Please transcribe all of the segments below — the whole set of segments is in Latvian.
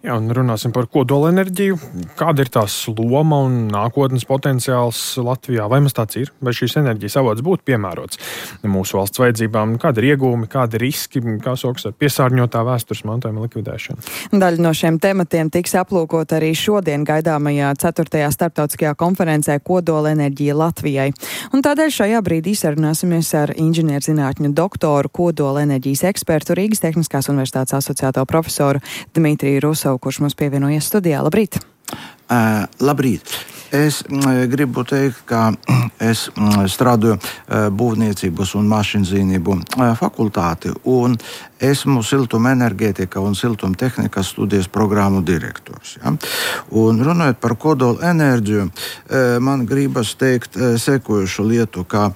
Jā, un runāsim par kodolenerģiju. Kāda ir tās loma un nākotnes potenciāls Latvijā? Vai mums tāds ir? Vai šīs enerģijas avots būtu piemērots mūsu valsts vajadzībām? Kādi ir iegūmi, kādi riski, kā sokas ar piesārņotā vēstures mantojuma likvidēšanu? Daļa no šiem tematiem tiks aplūkot arī šodien gaidāmajā 4. starptautiskajā konferencē Kodolenerģija Latvijai. Un tādēļ šajā brīdī sarunāsimies ar inženierzinātņu doktoru, kodolenerģijas ekspertu, Rīgas Tehniskās universitātes asociēto profesoru Dmitriju Rusovu, kurš mums pievienojies studijā. Labrīt! Labrīt! Es gribu teikt, ka es strādāju būvniecības un mašīnzīmību fakultāti, un esmu siltumenerģētika un siltumtehnikas studijas programmu direktors. Ja? Un runājot par kodolenerģiju, man gribas teikt sekojušu lietu, ka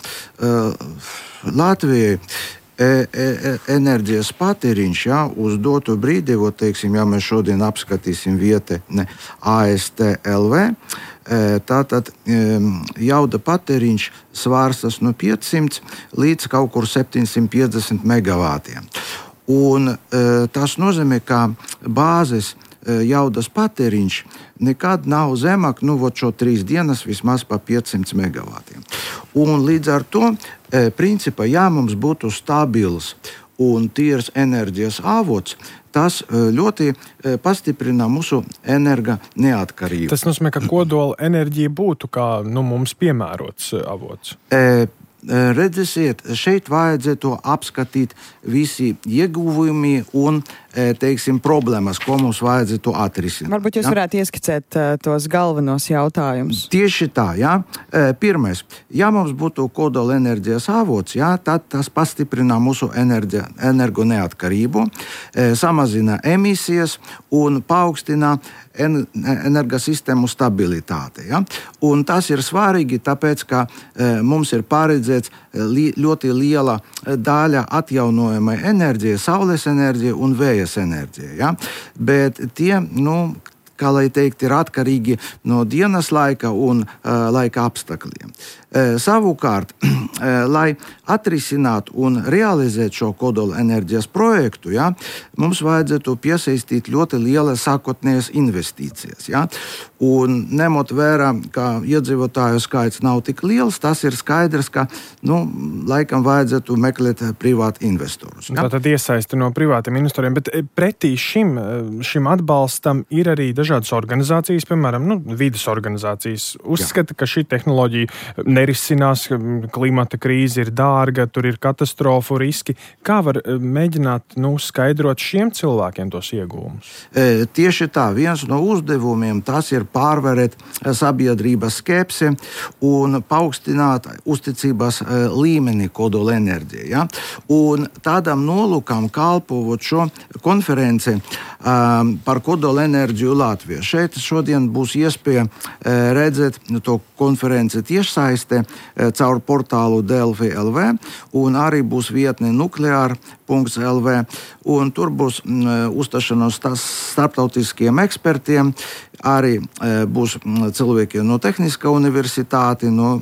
Latvijai enerģijas patēriņš, ja, uz dotu brīdi, teiksim, ja mēs šodien apskatīsim vietne ASTLV, tātad jauda patēriņš svārstas no 500 līdz kaut kur 750 megavātiem. Un tas nozīmē, ka bāzes jaudas patēriņš nekad nav zemāk, šo 3 dienas vismaz pa 500 megavātiem. Un līdz ar to, principā, ja mums būtu stabils un tīrs enerģijas avots, tas ļoti pastiprina mūsu energo neatkarību. Tas nozīmē, ka kodola enerģija būtu kā mums piemērots avots. Redzēsiet, šeit vajadzētu apskatīt visi ieguvumi un, teiksim, problēmas, ko mums vajadzētu atrisināt. Varbūt jūs varētu ieskicēt tos galvenos jautājumus. Tieši tā, jā. Pirmais, ja mums būtu kodolenerģijas avots, jā, tad tas pastiprina mūsu energo neatkarību, samazina emisijas un paaugstina energosistēmu stabilitāti. Ja? Un tas ir svarīgi, tāpēc, ka mums ir paredzēts ļoti liela daļa atjaunojamai enerģijai, saules enerģija un vējas enerģija. Ja? Bet tie, kā lai teikt, ir atkarīgi no dienas laika un laika apstākļiem. Savukārt, lai atrisinātu un realizētu šo kodolenerģijas projektu, ja, mums vajadzētu piesaistīt ļoti lielas sākotnējas investīcijas. Ja. Un ņemot vērā, ka iedzīvotāju skaits nav tik liels, tas ir skaidrs, ka laikam vajadzētu meklēt privātu investorus. Ja. Tātad iesaisti no privātiem investoriem, bet pretī šim atbalstam ir arī dažādas organizācijas, piemēram, vides organizācijas, uzskata, ka šī tehnoloģija nerisinās, klimata krīze ir dārga, tur ir katastrofu riski. Kā var mēģināt skaidrot šiem cilvēkiem tos iegūmus? Tieši tā, viens no uzdevumiem tas ir pārvarēt sabiedrības skepsi un paaugstināt uzticības līmeni kodolenerģijai. Ja? Un tādam nolūkam kalpot šo konferenci par kodolenerģiju Latvijā. Šeit šodien būs iespēja redzēt to konferenci tiešsaistē caur portālu Delfi LV, un arī būs vietne nukleār.lv, un tur būs uzstāšanos starptautiskiem ekspertiem, arī būs cilvēki no Tehniskā universitāte, no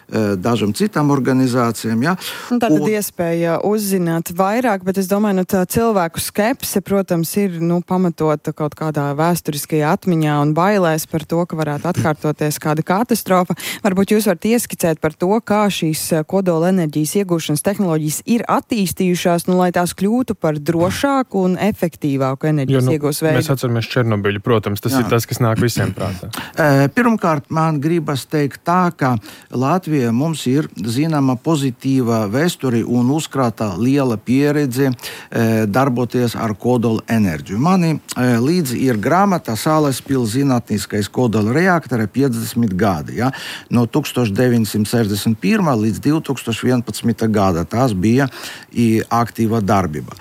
dažām citām organizācijām. Ja? Tātad iespēja uzzināt vairāk, bet es domāju, tā cilvēku skepse, protams, ir pamatota kaut kādā vēsturiskajā atmiņā un bailēs par to, ka varētu atkārtoties kāda katastrofa. Varbūt jūs varat ieskicēt par to, kā šīs kodolenerģijas iegūšanas tehnoloģijas ir attīstījušās, lai tās kļūtu par drošāku un efektīvāku enerģijas iegūs veidu. Mēs atceramies Černobiļu, protams, tas ir tas, kas nāk visiem prātā. Pirmkārt, man gribas teikt tā, ka Latvija mums ir zināma pozitīva vēsture un uzkrāta liela pieredze darboties ar kodolenerģiju. Mani līdzi ir grāmata Salaspils zinātniskais kodola reaktora 50 gadi. Ja? No 1961. līdz 2011. gada tās bija aktīva darbība.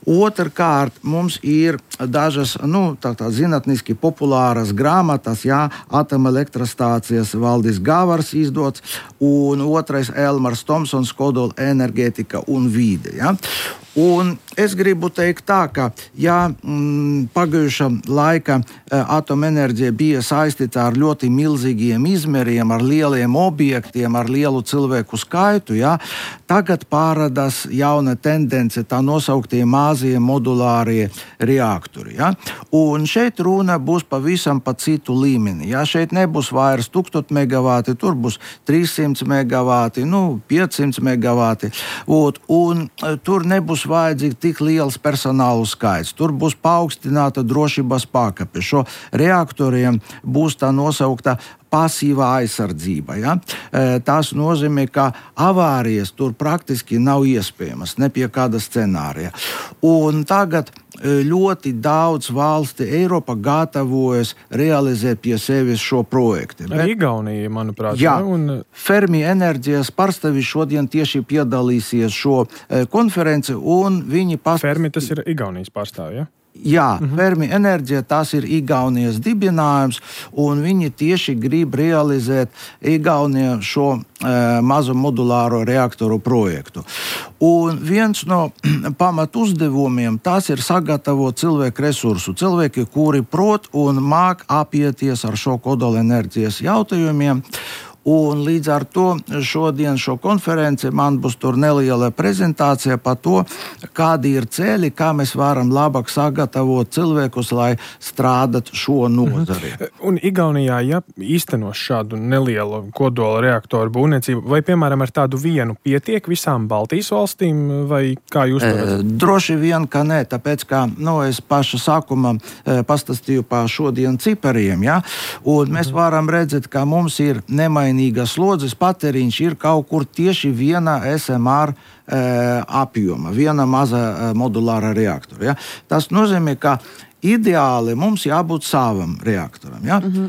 Otrkārt, mums ir dažas zinātniski populāras grāmatas, atomelektrostācijas Valdis Gavars izdots, un otrais Elmars Tomsons kodola enerģētika un vide. Ja? Un es gribu teikt tā, ka pagājušā laika atomenerģija bija saistīta ar ļoti milzīgiem izmēriem, ar lieliem objektiem, ar lielu cilvēku skaitu, tagad parādās jauna tendence, tā nosauktie mazie modulārie reaktori. Un šeit runa būs pavisam pa citu līmeni. Šeit nebūs vairs 1000 megavati, tur būs 300 megavati, 500 megavati. Un tur nebūs vajadzīgs tik liels personālu skaits. Tur būs paaugstināta drošības pakāpe. Šo reaktoriem būs tā nosaukta pasīvā aizsardzība. Tas nozīmē, ka avārijas tur praktiski nav iespējamas, ne pie kāda scenārija. Un tagad ļoti daudz valsti Eiropa gatavojas realizēt pie sevis šo projektu. Arī Igaunija, manuprāt. Jā, Fermi enerģijas pārstāvji šodien tieši piedalīsies šo konferenci, un viņi Fermi tas ir Igaunijas pārstāvji, Jā, Fermi enerģija, tas ir Igaunijas dibinājums, un viņi tieši grib realizēt Igaunijā šo mazo modulāro reaktoru projektu. Un viens no pamat uzdevumiem tas ir sagatavot cilvēku resursu. Cilvēki, kuri prot un māk apieties ar šo kodolenerģijas jautājumiem. Un līdz ar to šodien šo konferenci man būs tur neliela prezentācija par to, kādi ir ceļi, kā mēs varam labāk sagatavot cilvēkus, lai strādātu šo nozari. Un Igaunijā, īstenos šādu nelielu kodola reaktoru būvniecību, vai, piemēram, ar tādu vienu pietiek visām Baltijas valstīm, vai kā jūs to redzat? Droši vien, ka nē, tāpēc, ka es paša sākumā pastāstīju par šodien cipariem, un mēs varam redzēt, ka mums ir slodzes patēriņš ir kaut kur tieši viena SMR apjoma, viena maza modulāra reaktora. Tas nozīmē, ka ideāli mums jābūt savam reaktoram.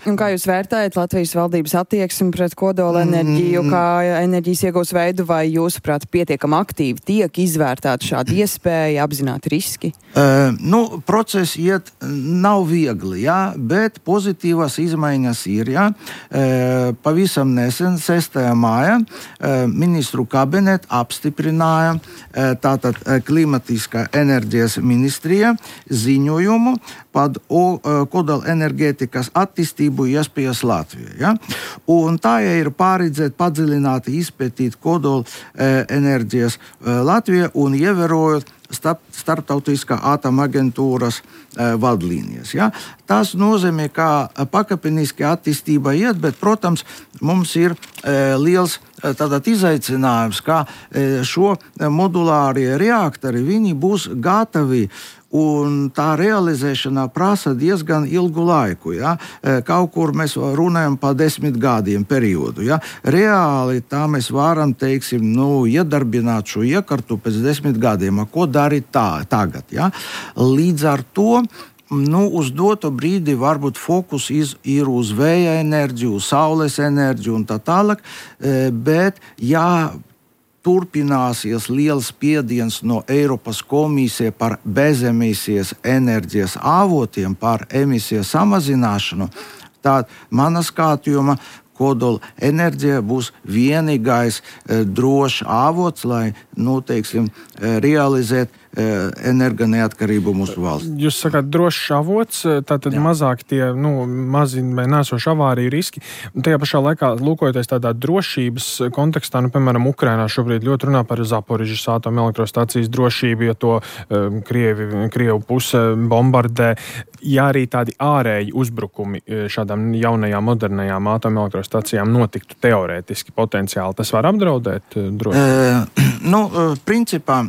Un kā jūs vērtējat Latvijas valdības attieksmi pret kodola enerģiju, kā enerģijas iegūs veidu, vai jūsuprāt pietiekami aktīvi tiek izvērtēta šāda iespēja, apzināti riski? Process iet nav viegli, bet pozitīvas izmaiņas ir. Pavisam nesen, 6. māja, ministru kabinets apstiprināja tātad klimatiskā enerģijas ministrija ziņojumu par kodola enerģētikas attīstību iespējas Latvijā. Un tā ir paredzēta padziļināti izpētīt kodola enerģijas Latvijā un ievērojot starptautiskā atomaģentūras vadlīnijas. Tas nozīmē, ka pakāpeniski attīstība iet, bet, protams, mums ir liels izaicinājums, ka šo modulārie reaktori, viņi būs gatavi, un tā realizēšana prasa diezgan ilgu laiku. Kaut kur mēs runājam par 10 gadiem periodu. Reāli tā mēs varam, iedarbināt šo iekārtu pēc 10 gadiem. Ko darīt tagad? Līdz ar to uz doto brīdi varbūt fokus ir uz vēja enerģiju, uz saules enerģiju un tā tālāk, bet turpināsies liels spiediens no Eiropas komisijas par bezemisijas enerģijas avotiem, par emisiju samazināšanu. Tad mana skatījuma kodola enerģija būs vienīgais drošs avots, lai, realizēt energoneatkarību mūsu valsts. Jūs sakāt, drošs avots, tātad mazāk tie mazi vai nēsoši avāriju riski. Un tajā pašā laikā, lūkojoties tādā drošības kontekstā, piemēram, Ukrainā šobrīd ļoti runā par Zaporižas atomelektrostacijas drošību, ja to Krievu puse bombardē. Ja arī tādi ārēji uzbrukumi šādām jaunajām, modernajām atomelektrostacijām notiktu teorētiski, potenciāli, tas var apdraudēt drošību? Principā,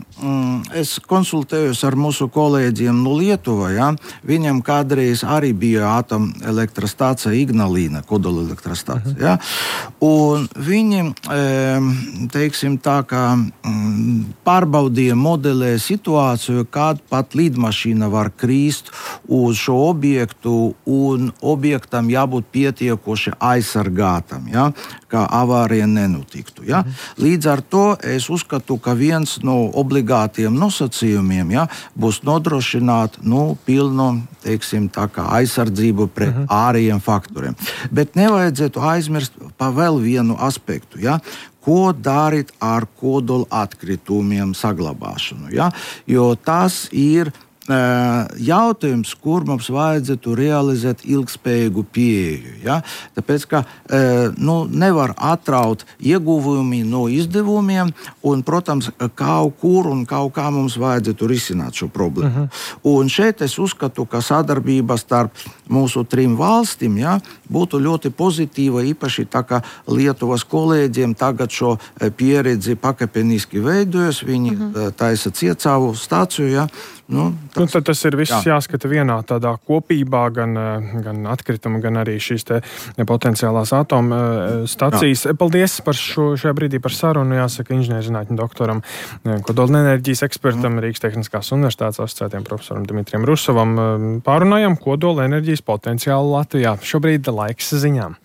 es konsultējos ar mūsu kolēģiem no Lietuvā. Viņam kādreiz arī bija atomelektrostācija Ignalīna, kodola elektrostācija. Un viņi, pārbaudīja, modelēja situāciju, kad pat lidmašīna var krīst uz šo objektu, un objektam jābūt pietiekoši aizsargātam, kā avārija nenotiktu. Līdz ar to es uzskatu, ka viens no obligātiem nosacījumiem būs nodrošināt pilnu aizsardzību pret ārējiem faktoriem. Bet nevajadzētu aizmirst par vēl vienu aspektu. ko darīt ar kodola atkritumiem saglabāšanu. Ja? Jo tas ir jautājums, kur mums vajadzētu realizēt ilgspējīgu pieeju. Ja? Tāpēc, ka nevar atraut ieguvumi no izdevumiem, un, protams, kaut kur un kaut kā mums vajadzētu risināt šo problēmu. Un šeit es uzskatu, ka sadarbība starp mūsu 3 valstīm būtu ļoti pozitīva, īpaši tā kā Lietuvas kolēģiem tagad šo pieredzi pakāpeniski veidojas, viņi taisa Ciecāvu stāciju. Ja? Tad tas ir viss jāskata vienā tādā kopībā, gan atkrituma, gan arī šīs te potenciālās atomu stacijas. Paldies par šajā brīdī par sarunu, jāsaka, inženierzinātņu doktoram, kodolenerģijas ekspertam, Rīgas Tehniskās universitātes asociētiem profesoram Dimitrijam Rusovam. Pārunājam kodolenerģijas potenciālu Latvijā. Šobrīd laiks ziņām.